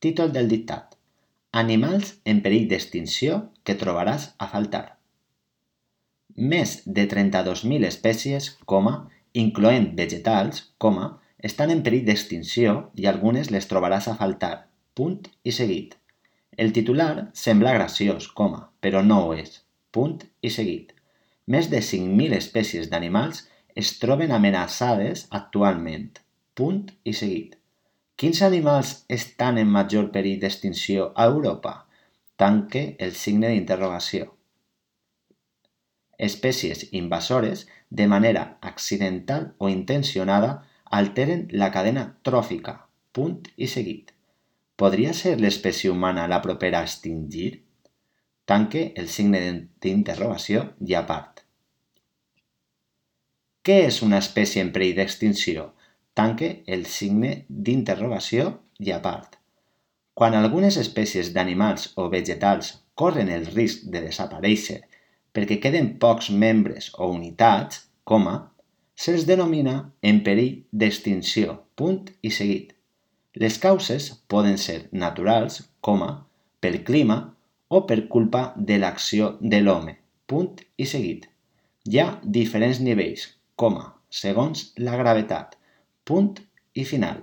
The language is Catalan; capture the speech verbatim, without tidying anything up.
Títol del dictat. Animals en perill d'extinció que trobaràs a faltar. Més de trenta-dos mil espècies, coma, incloent vegetals, coma, estan en perill d'extinció i algunes les trobaràs a faltar. Punt i seguit. El titular sembla graciós, coma, però no ho és. Punt i seguit. Més de cinc mil espècies d'animals es troben amenaçades actualment. Punt i seguit. Quins animals estan en major perill d'extinció a Europa? Tanque el signe d'interrogació. Espècies invasores, de manera accidental o intencionada, alteren la cadena tròfica. Punt i seguit. Podria ser l'espècie humana la propera a extingir? Tanque el signe d'interrogació i a part. Què és una espècie en perill d'extinció? Tanque el signe d'interrogació i a part. Quan algunes espècies d'animals o vegetals corren el risc de desaparèixer perquè queden pocs membres o unitats, coma, se'ls denomina en perill d'extinció, punt i seguit. Les causes poden ser naturals, coma, pel clima o per culpa de l'acció de l'home, punt i seguit. Hi ha diferents nivells, coma, segons la gravetat, punt i final.